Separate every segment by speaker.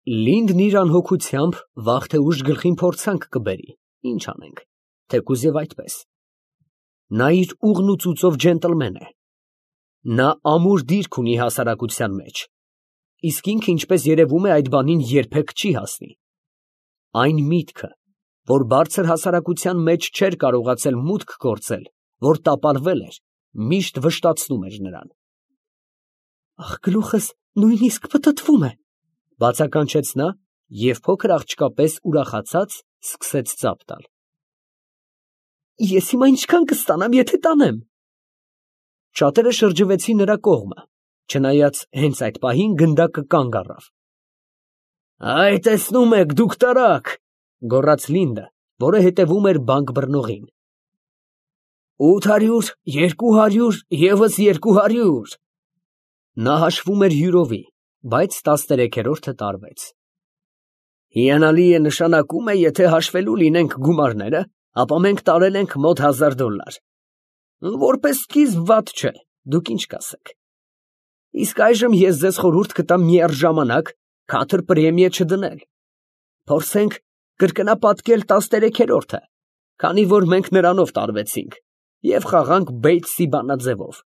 Speaker 1: Լինդն իր անհոգությամբ վաղ թե ուշ գլխին փորձանք կբերի, ինչ անենք, թեկուզ և այդպես. նա իր ուղն ու ծուծով ջենտլմեն է, նա ամուր դիրք ունի հասարակության մեջ, իսկ ինքը, ինչպես երևում է, այդ բանին երբեք չի հասնի. այն միտքը, որ բարձր հասարակության մեջ չէր կարողացել մուտք գործել, որ տապալվել էր, միշտ վշտացնում էր նրան։ «Ախ, գլուխս նույնիսկ պտտվում է», բացականչեց նա և փոքր աղջկա պես ուրախացած սկսեց ծափ տալ։ «Ես հիմա ինչքան կստանամ, եթե տանեմ»։ Շատերը շրջվեցին նրա կողմը, չնայած հենց այդ պահին գնդակը կանգ առավ։ «Այ, տեսնում եք, դուք տարաք», գոռաց Լինդը, որը հետևում էր բանկ բռնողին։ 800, 200, ևս 200։ Նա հաշվում էր յուրովի, բայց 13-րդը տարվեց։ Հիանալի է, նշանակում է, եթե հաշվելու լինենք գումարները, ապա մենք տարել ենք մոտ $1000։ Որպես սկիզբ վատ չէ, դուք ինչ կասեք։ Իսկ այժմ ես ձեզ խորհուրդ կտամ միառժամանակ քաթր պրեմիա չդնել։ Փորձենք կրկնապատկել 13-րդը, քանի որ մենք նրանով տարվեցինք, և խաղանք Բեյթսի բանաձևով։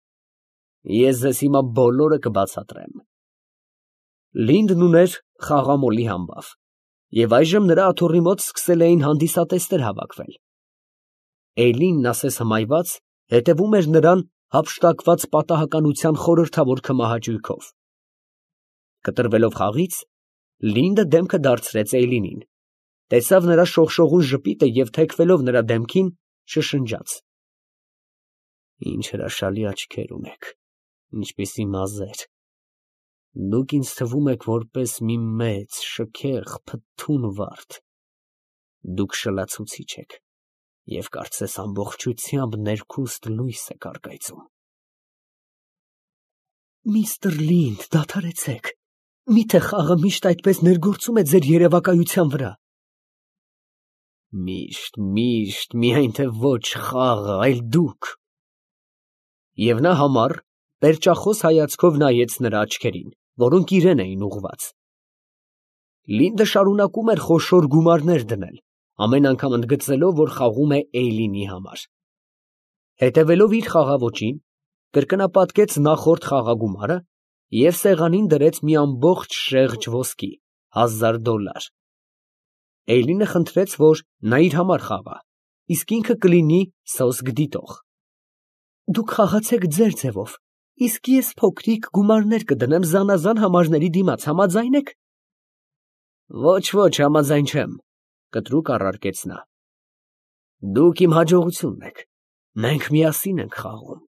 Speaker 1: Ես ձեզ հիմա բոլորը կբացատրեմ։ Լինդն ուներ խաղամոլի համբավ, և այժմ նրա աթոռի մոտ սկսել էին հանդիսատեսներ հավաքվել։ Էյլինն ասես հմայված հետևում էր նրան հափշտակված պատահականության խորհրդավոր քմահաճույքով։ Կտրվելով խաղից, Լինդը դեմքը դարձրեց Էյլինին, տեսավ նրա շողշողուն ժպիտը և թեքվելով նրա դեմքին, շշնջաց. «Ինչ հրաշալի աչքեր ունեք, ինչպիսի մազեր, դուք ինձ թվում եք որպես մի մեծ, շքեղ, փթթուն վարդ, դուք շլացուցիչ եք և կարծես ամբողջությամբ ներքուստ լույս եք առկայծում»։ Միստր Լինդ, դադարեցեք, միթե խաղը միշտ այդպես ներգործում է ձեր երևակայության վրա։ Միշտ, միայն թե ոչ խաղը, այլ դուք։ Եվ նա համառ, պերճախոս հայացքով նայեց նրա աչքերին, որոնք իրան էին ուղղված։ Լինդը շարունակում էր խոշոր գումարներ դնել, ամեն անգամ ընդգծելով, որ խաղում է Էյլինի համար։ Հետևելով իր խաղաոճին, կրկնապատկեց նախորդ խաղագումարը և սեղանին դրեց մի ամբողջ շեղջ ոսկի, $1000։ Էյլինը խնդրեց, որ նա իր համար խաղա, իսկ ինքը կլինի սոսկ դիտող։ Դուք խաղացեք ձեր ձևով, իսկ ես փոքրիկ գումարներ կդնեմ զանազան համարների դիմաց, համաձա՞յն եք։ Ոչ, համաձայն չեմ, կտրուկ առարկեց նա։ Դուք իմ հաջողությունն եք, մենք միասին ենք խաղում։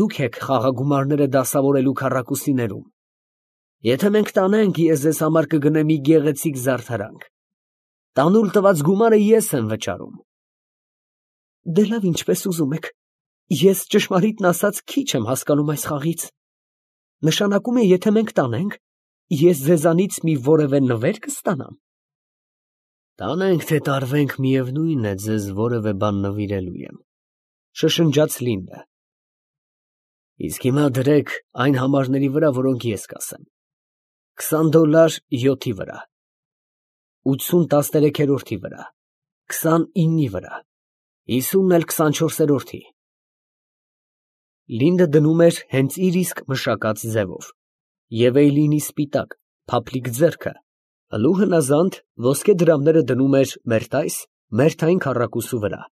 Speaker 1: Դուք եք խաղագումարները դասավորելու քառակուսիներում։ Եթե մենք տանենք, ես ձեզ համար կգնեմ մի գեղեցիկ զարդարանք։ Տանուլ տված գումարը ես եմ վճարում։ Դե լավ, ինչպես ուզում եք, ես ճշմարիտն ասած քիչ եմ հասկանում այս խաղից։ Նշանակում է, եթե մենք տանենք, ես ձեզանից մի որևէ նվեր կստանամ։ Տանենք, թե տարվենք, միևնույն է, ձեզ որևէ բան նվիրելու եմ, շշնջաց Լինդը։ Իսկ հիմա դրեք այն համարների վրա, որոնք ես կասեմ. $20 7-ի վրա, 80 13-րդի վրա, 29-ի վրա, 50 էլ 24-րդի։ Լինդը դնում էր հենց իր իսկ մշակած ձևով, և Էյլինի սպիտակ, փափլիկ ձեռքը հլու հնազանդ ոսկե դրամները դնում էր մերթային քառակուսու վրա,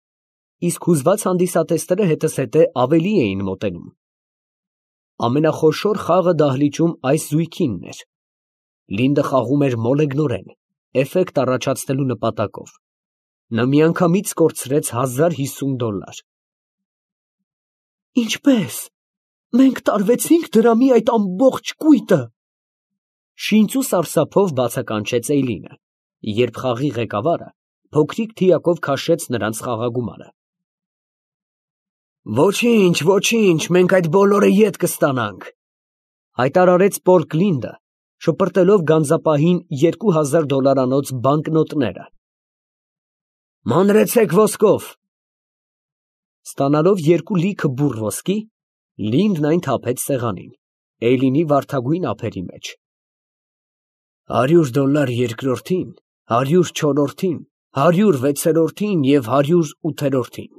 Speaker 1: իսկ հուզված հանդիսատեսները հետզհետե ավելի էին մոտենում։ Ամենախոշոր խաղը դահլիճում այս զույգինն էր։ Լինդը խաղում էր մոլեգնորեն, էֆեկտ առաջացնելու նպատակով։ Նա միանգամից կորցրեց $1050։ Ինչպե՞ս։ Մենք տարվեցինք դրամի այդ ամբողջ կույտը։ Շինծ ու սարսափով բացականչեց Էյլինը, երբ խաղի ղեկավարը փոքրիկ թիակով քաշեց նրանց խաղագումարը։ Ոչինչ, մենք այդ բոլորը ետ կստանանք, հայտարարեց Պոլ Լինդը, շպրտելով գանձապահին $2000 բանկնոտները։ Մանրեցեք ոսկով։ Ստանալով 2 լիքը բուռ ոսկի, Լինդն այն թափեց սեղանին, Էյլինի վարդագույն ափերի մեջ։ $100 երկրորդին, 100 չորրորդին, 100 վեցերորդին և 100 ութերորդին։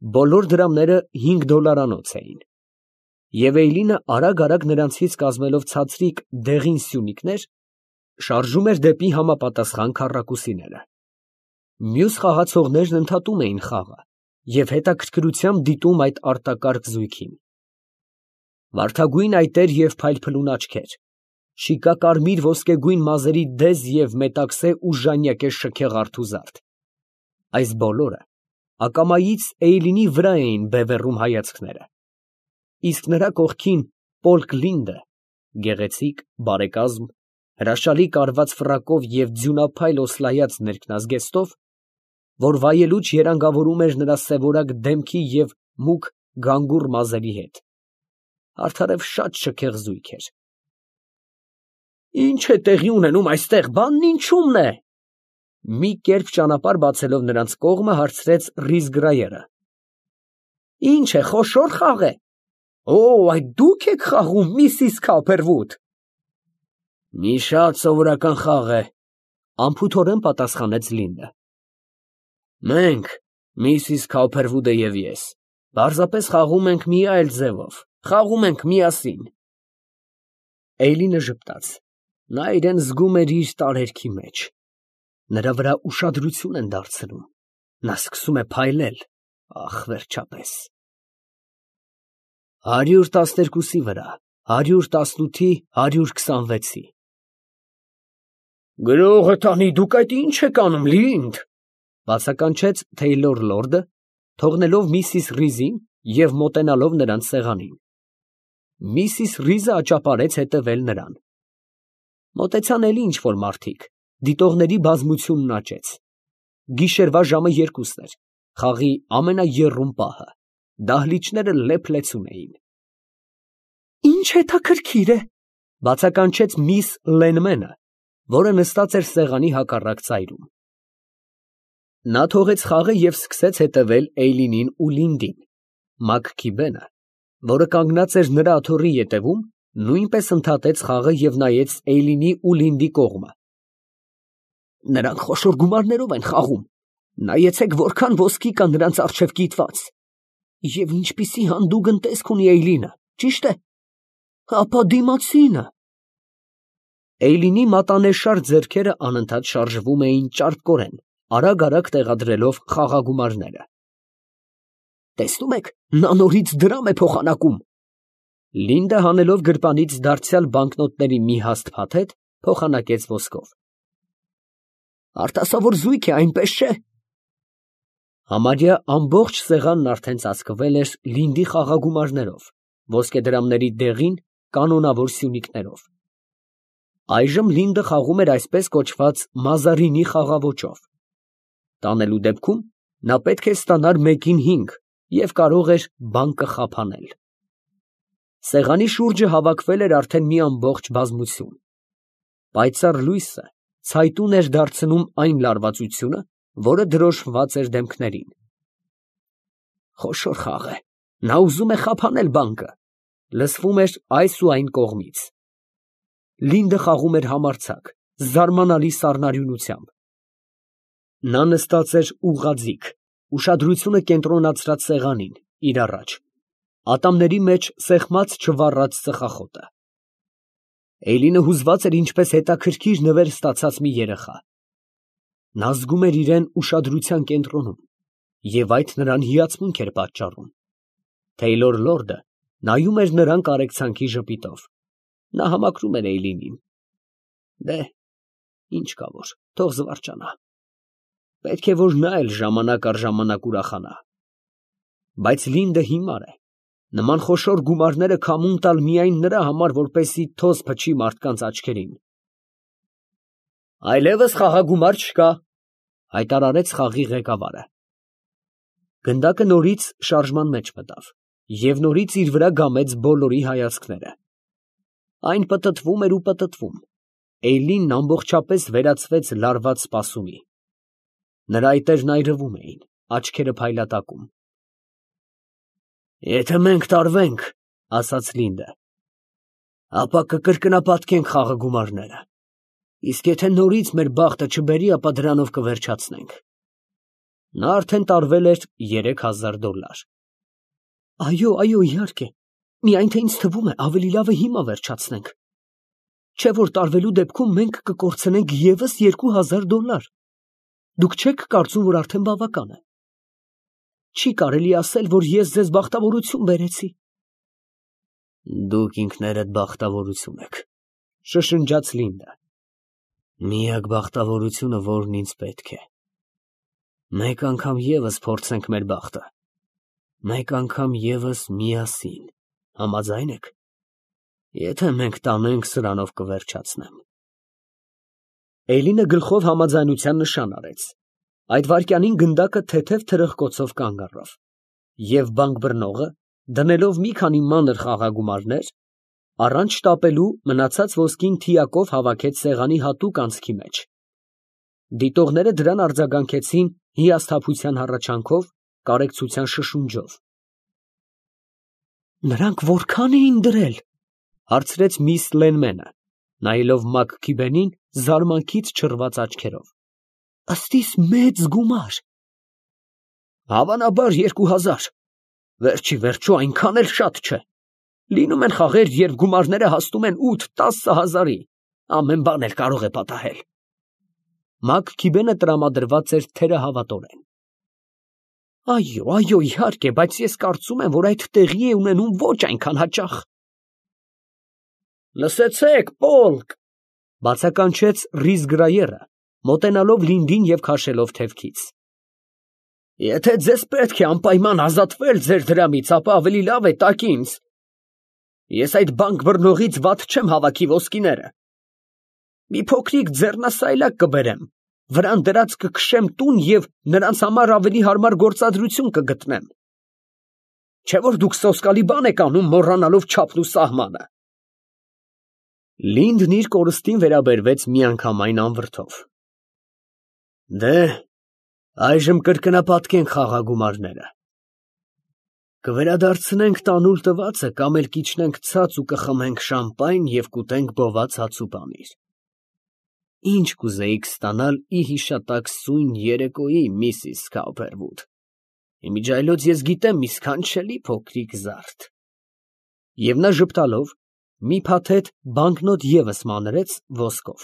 Speaker 1: Բոլոր դրամները $5 էին, և Էյլինը արագ նրանցից կազմելով ցածրիկ դեղին սյունիկներ, շարժում էր դեպի համապատասխան քառակուսիները։ Մյուս խաղացողներն ընդհատում էին խաղը և հետաքրքրությամբ դիտում այդ արտակարգ զույգին։ Վարդագույն այտեր և փայլփլուն աչքեր, շիկակարմիր ոսկեգույն մազերի դեզ և մետաքսե ու ժանյակե շքեղ արթուզարդ, այս բոլորը ակամայից Էյլինի վրա էին բևեռում հայացքները, իսկ նրա կողքին Պոլկ Լինդը, գեղեցիկ, բարեկազմ, հրաշալի կարված ֆրակով և ձյունափայլ օսլայած ներքնազգեստով, որ վայելուչ երանգավորում էր նրա սևորակ դեմքի և մուգ գանգուր մազերի հետ, արդարև շատ շքեղ զույգ էր։ «Ի՞նչ է տեղի ունենում այստեղ, բանն ինչումն է», մի կերպ ճանապարհ բացելով նրանց կողմը, հարցրեց Ռիզգրայերը։ «Ի՞նչ է, խոշո՞ր խաղ է։ Օ, այդ դու՞ք եք խաղում, Միսիս Քոփերվուդ»։ «Մի շատ սովորական խաղ է», անփութորեն պատասխանեց Լինդը։ «Մենք, Միսիս Քոփերվուդը և ես, պարզապես խաղում ենք մի այլ ձևով, խաղում ենք միասին»։ Էյլինը ժպտաց, նա իրան զգում էր իր տարերքի մեջ, նրա վրա ուշադրություն են դարձնում, նա սկսում է փայլել, ահ, վերջապես։ 112-ի վրա, 118-ի, 126-ի։ «Գրողը տանի, դուք այդ ի՞նչ եք անում, Լինդ», բացականչեց Թեյլոր լորդը, թողնելով միսիս Ռիզին և մոտենալով նրանց սեղանին։ Միսիս Ռիզը աճապարեց հետևել նրան։ Մոտեցան էլի ինչ֊որ մարդիկ, դիտողների բազմությունն աճեց։ Գիշերվա ժամը 2-ն էր, խաղի ամենաեռում պահը, դահլիճները լեփ֊լեցուն էին։ «Ինչ հետաքրքիր է», բացականչեց միս Լենմենը, որը նստած էր սեղանի հակառակ ծայրում։ Նա թողեց խաղը և սկսեց հետևել Էյլինին ու Լինդին։ Մաքքիբենը, որը կանգնած էր նրա աթոռի ետևում, նույնպես ընդհատեց խաղը և նայեց Էյլինի ու Լինդի կողմը։ «Նրանք խոշոր գումարներով են խաղում, նայեցեք, որքան ոսկի կա նրանց առջև կիտված։ Եվ ինչպիսի հանդուգն տեսք ունի Էյլինը, ճի՞շտ է։ Ապա դիմացինը»։ Էյլինի մատանեշար ձեռքերը անընդհատ շարժվում էին ճարպկորեն, արագ տեղադրելով խաղագումարները։ «Տեսնում եք, նա նորից դրամ է փոխանակում»։ Լինդը հանելով գրպանից դարձյալ բանկնոտների մի հաստ փաթեթ, փոխանակեց ոսկով։ «Արտասովոր զույգ է, այնպես չէ»։ Համարյա ամբողջ սեղանն արդեն ծածկվել էր Լինդի խաղագումարներով, ոսկեդրամների դեղին, կանոնավոր սյունիկներով։ Այժմ Լինդը խաղում էր այսպես կոչված մազարինի խաղաոճով։ Տանելու դեպքում նա պետք է ստանար մեկին 5 և կարող էր բանկը խափանել։ Սեղանի շուրջը հավաքվել էր արդեն մի ամբողջ բազմություն։ Պայծառ լույսը ցայտուն էր դարձնում այն լարվածությունը, որը դրոշմված էր դեմքներին։ «Խոշոր խաղ է, նա ուզում է խափանել բանկը», լսվում էր այս ու այն կողմից։ Լինդը խաղում էր համարձակ, զարմանալի սառնարյունությամբ։ Նա նստած էր ուղղաձիգ, ուշադրությունը կենտրոնացրած սեղանին, իր առաջ, ատամների մեջ սեղմած չվառած ծխախոտը։ Էյլինը հուզված էր ինչպես հետաքրքիր նվեր ստացած մի երեխա։ Նա զգում էր իրան ուշադրության կենտրոնում, և այդ նրան հիացմունք էր պատճառում։ Թեյլոր լորդը նայում էր նրան կարեկցանքի ժպիտով։ Նա համակրում էր Էյլինին։ Դե, ինչ կա որ, թող զվարճանա։ Պետք է որ նա էլ ժամանակ առ ժամանակ ուրախանա։ Բայց Լինդը հիմար է, նման խոշոր գումարները քամուն տալ միայն նրա համար, որպեսզի թոզ փչի մարդկանց աչքերին։ «Այլևս խաղագումար չկա», հայտարարեց խաղի ղեկավարը։ Գնդակը նորից շարժման մեջ մտավ և նորից իր վրա գամեց բոլորի հայացքները։ Այն պտտվում էր ու պտտվում։ Էյլինն ամբողջապես վերածվեց լարված սպասումի։ Նրա այտերն այրվում էին, աչքերը փայլատակում։ «Եթե մենք տարվենք», ասաց Լինդը, ապա կկրկնապատկենք խաղը գումարները։ Իսկ եթե նորից մեր բախտը չբերի, ապա դրանով կվերջացնենք։ Նա արդեն տարվել էր $3000։ Այո, իհարկե, միայն թե ինձ թվում է ավելի լավ է հիմա վերջացնենք։ Չէ՞ որ տարվելու դեպքում մենք կկորցնենք ևս $2000։ Դուք չեք կարծում, որ արդեն բավական է։ Չի կարելի ասել, որ ես ձեզ բախտավորություն բերեցի։ Դուք ինքներդ բախտավորություն եք, շշնջաց Լինդա։ Միակ բախտավորությունը, որն ինձ պետք է։ Մեկ անգամ ևս փորձենք մեր բախտը։ Մեկ անգամ ևս միասին։ Համաձայն եք։ Եթե մենք տանենք, սրանով կվերջացնեմ։ Էյլինը գլխով համաձայնության նշան արեց։ Այդ վայրկյանին գնդակը թեթև թրխկոցով կանգ առավ, և բանկ բռնողը, դնելով մի քանի մանր խաղագումարներ, առանց շտապելու մնացած ոսկին թիակով հավաքեց սեղանի հատուկ անցքի մեջ։ Դիտողները դրան արձագանքեցին հիասթափության հառաչանքով, կարեկցության շշունջով։ Նրանք որքա՞ն էին դրել, հարցրեց միս Լենմենը, նայելով Մաքքիբենին զարմանքից չռված աչքերով։ Ըստ իս մեծ գումար։ Հավանաբար 2000, վերջի վերջո այնքան էլ շատ չէ։ Լինում են խաղեր, երբ գումարները հասնում են 8-10 հազարի, ամեն բան էլ կարող է պատահել։ Մաքքիբենը տրամադրված էր թերահավատորեն։ Այո, իհարկե, բայց ես կարծում եմ, որ այդ տեղի է ունենում ոչ այնքան հաճախ։ Լսեցեք, Պոլկ, բացականչեց Ռիզգրայերը, մոտենալով Լինդին և քաշելով թևքից։ Եթե ձեզ պետք է անպայման ազատվել ձեր դրամից, ապա ավելի լավ է տաք ինձ։ Ես այդ բանկ բռնողից վատ չեմ հավաքի ոսկիները։ Մի փոքրիկ ձեռնասայլակ կբերեմ, վրան դրած կքշեմ տուն և նրանց համար ավելի հարմար գործադրություն կգտնեմ։ Չէ՞ որ դուք սոսկալի բան եք անում, մոռանալով չափն ու սահմանը։ Լինդն իր կորստին վերաբերվեց միանգամայն անվրդով։ Դե, այժմ կրկնապատկենք խաղագումարները։ Կվերադարձնենք տանուլ տվածը կամ էլ կիջնենք ցած ու կխմենք շամպայն և կուտենք բոված հաց ու պանիր։ Ինչ կուզեիք ստանալ ի հիշատակ սույն երեկոյի, Միսիս Քաուփերվուդ։ Իմիջիայլոց ես գիտեմ մի սքանչելի փոքրիկ զարդ։ Եվ նա ժպտալով մի փաթեթ բանկնոտ ևս մանրեց ոսկով։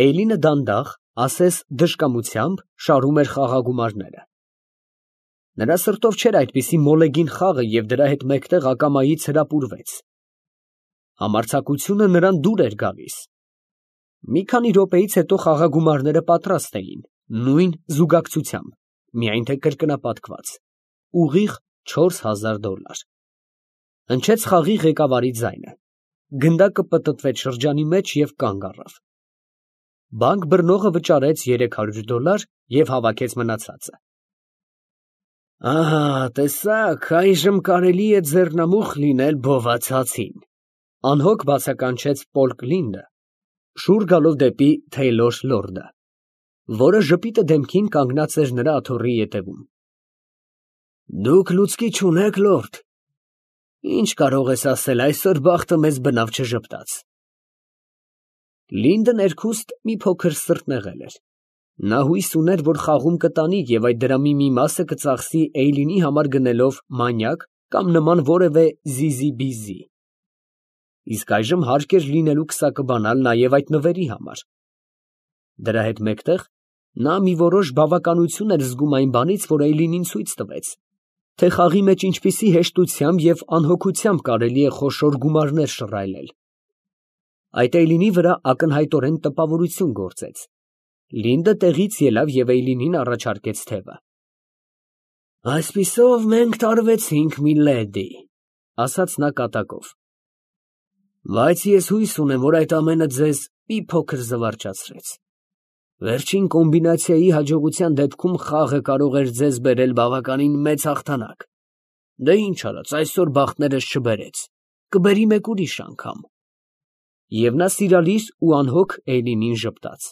Speaker 1: Էյլինը դանդաղ, ասես դժկամությամբ, շարում էր խաղագումարները։ Նրա սրտով չէր այդպիսի մոլեգին խաղը և դրա հետ մեկտեղ ակամայից հրապուրվեց։ Համարձակությունը նրան դուր էր գալիս։ Մի քանի րոպեից հետո խաղագումարները պատրաստ էին, նույն զուգակցությամբ, միայն թե կրկնապատկված, ուղիղ $4000։ Հնչեց խաղի ղեկավարի ձայնը։ Գնդակը պտտվեց շրջանի մեջ և կանգ առավ։ Բանկ բռնողը վճարեց $300 և հավաքեց մնացածը։ Ահա, տեսա՞ք, այժմ կարելի է ձեռնամուխ լինել բոված հացին, անհոգ բացականչեց Պոլկ Լինդը, շուռ գալով դեպի Թեյլոր լորդը, որը ժպիտը դեմքին կանգնած էր նրա աթոռի ետևում։ Դուք լուցկի չունեք, լորդ։ Ինչ կարող ես ասել, այսօր բախտը մեզ բնավ չժպտաց։ Լինդը ներքուստ մի փոքր սրտնեղել էր։ Նա հույս ուներ, որ խաղում կտանի և այդ դրամի մի մասը կծախսի Էյլինի համար գնելով մանյակ կամ նման որևէ զիզի֊բիզի։ Իսկ այժմ հարկ էր լինելու քսակը բանալ նաև այդ նվերի համար։ Դրա հետ մեկտեղ նա մի որոշ բավականություն էր զգում այն բանից, որ Էյլինին ցույց տվեց, թե խաղի մեջ ինչպիսի հեշտությամբ և անհոգությամբ կարելի է խոշոր գումարներ շռայլել։ Այդ Էյլինի վրա ակնհայտորեն տպավորություն գործեց։ Լինդը տեղից ելավ և Էյլինին առաջարկեց թևը։ Այսպիսով մենք տարվեցինք, մի լեդի, ասաց նա կատակով։ Բայց ես հույս ունեմ, որ այդ ամենը ձեզ մի փոքր զվարճացրեց։ Վերջին կոմբինացիայի հաջողության դեպքում խաղը կարող էր ձեզ բերել բավականին մեծ հաղթանակ։ Դե ինչ արած, այսօր բախտներս չբերեց, կբերի մեկ ուրիշ անգամ։ Եվ նա սիրալիր ու անհոգ Էյլինին ժպտաց։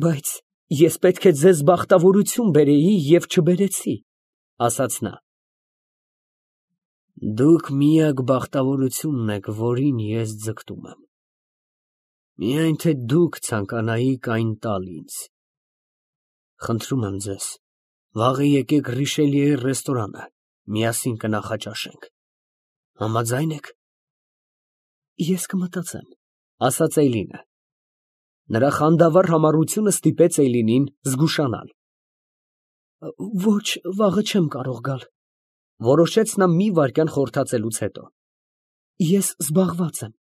Speaker 1: Բայց ես պետք է ձեզ բախտավորություն բերեի և չբերեցի, ասաց նա։ Դուք միակ բախտավորությունն եք, որին ես ձգտում եմ։ Միայն թե դուք ցանկանայիք այն տալ ինձ։ Խնդրում եմ ձեզ, վաղը եկեք Ռիշելիեի ռեստորանը, միասին կնախաճաշենք։ Համաձայն եք։ Ես կմտածեմ, ասաց Էյլինը։ Նրա խանդավառ համառությունը ստիպեց Էյլինին զգուշանալ։ Ոչ, վաղը չեմ կարող գալ, որոշեց նա մի վայրկյան խորհրդածելուց հետո։ Ես զբաղված եմ։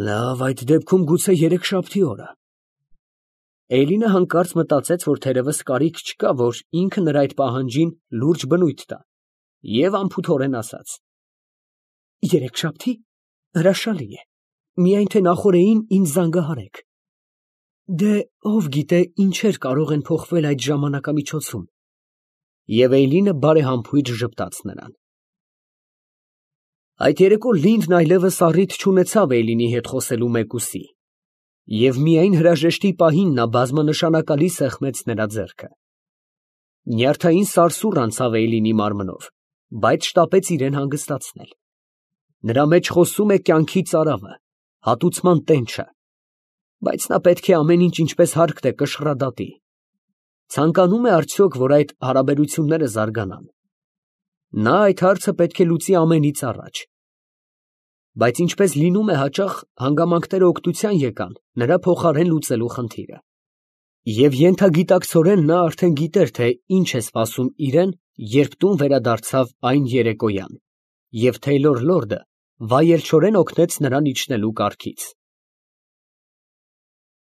Speaker 1: Լավ, այդ դեպքում գուցե երեքշաբթի օրը։ Էյլինը հանկարծ մտածեց, որ թերևս կարիք չկա, որ ինքը նրա այդ պահանջին լուրջ բնույթ տա, և անփութորեն ասաց. Երեքշաբթի։ Հրաշալի է, միայն թե նախօրեին ինձ զանգահարեք։ Դե ով գիտե ինչեր կարող են փոխվել այդ ժամանակամիջոցում։ Եվ Էյլինը բարեհամբույր ժպտաց նրան։ Այդ երեկո Լինդն այլևս առիթ չունեցավ Էյլինի հետ խոսելու մեկուսի, և միայն հրաժեշտի պահին նա բազմանշանակալի սեղմեց նրա ձեռքը։ Նյարդային սարսուռ անցավ Էյլինի մարմնով, բայց շտապեց իրեն հանգստացնել։ Նրա մեջ խոսում է կյանքի ծարավը, հատուցման տենչը, բայց նա պետք է ամեն ինչ ինչպես հարկն է կշռադատի։ Ցանկանում է արդյոք, որ այդ հարաբերությունները զարգանան։ Նա այդ հարցը պետք է լուծի ամենից առաջ։ Բայց ինչպես լինում է հաճախ, հանգամանքները օգնության եկան նրա փոխարեն լուծելու խնդիրը։ Եվ ենթագիտակցորեն նա արդեն գիտեր, թե ինչ է սպասում իրեն, երբ տուն վերադարձավ այն երեկոյան, և Թեյլոր լորդը վայելչորեն օգնեց նրան իջնելու կառքից։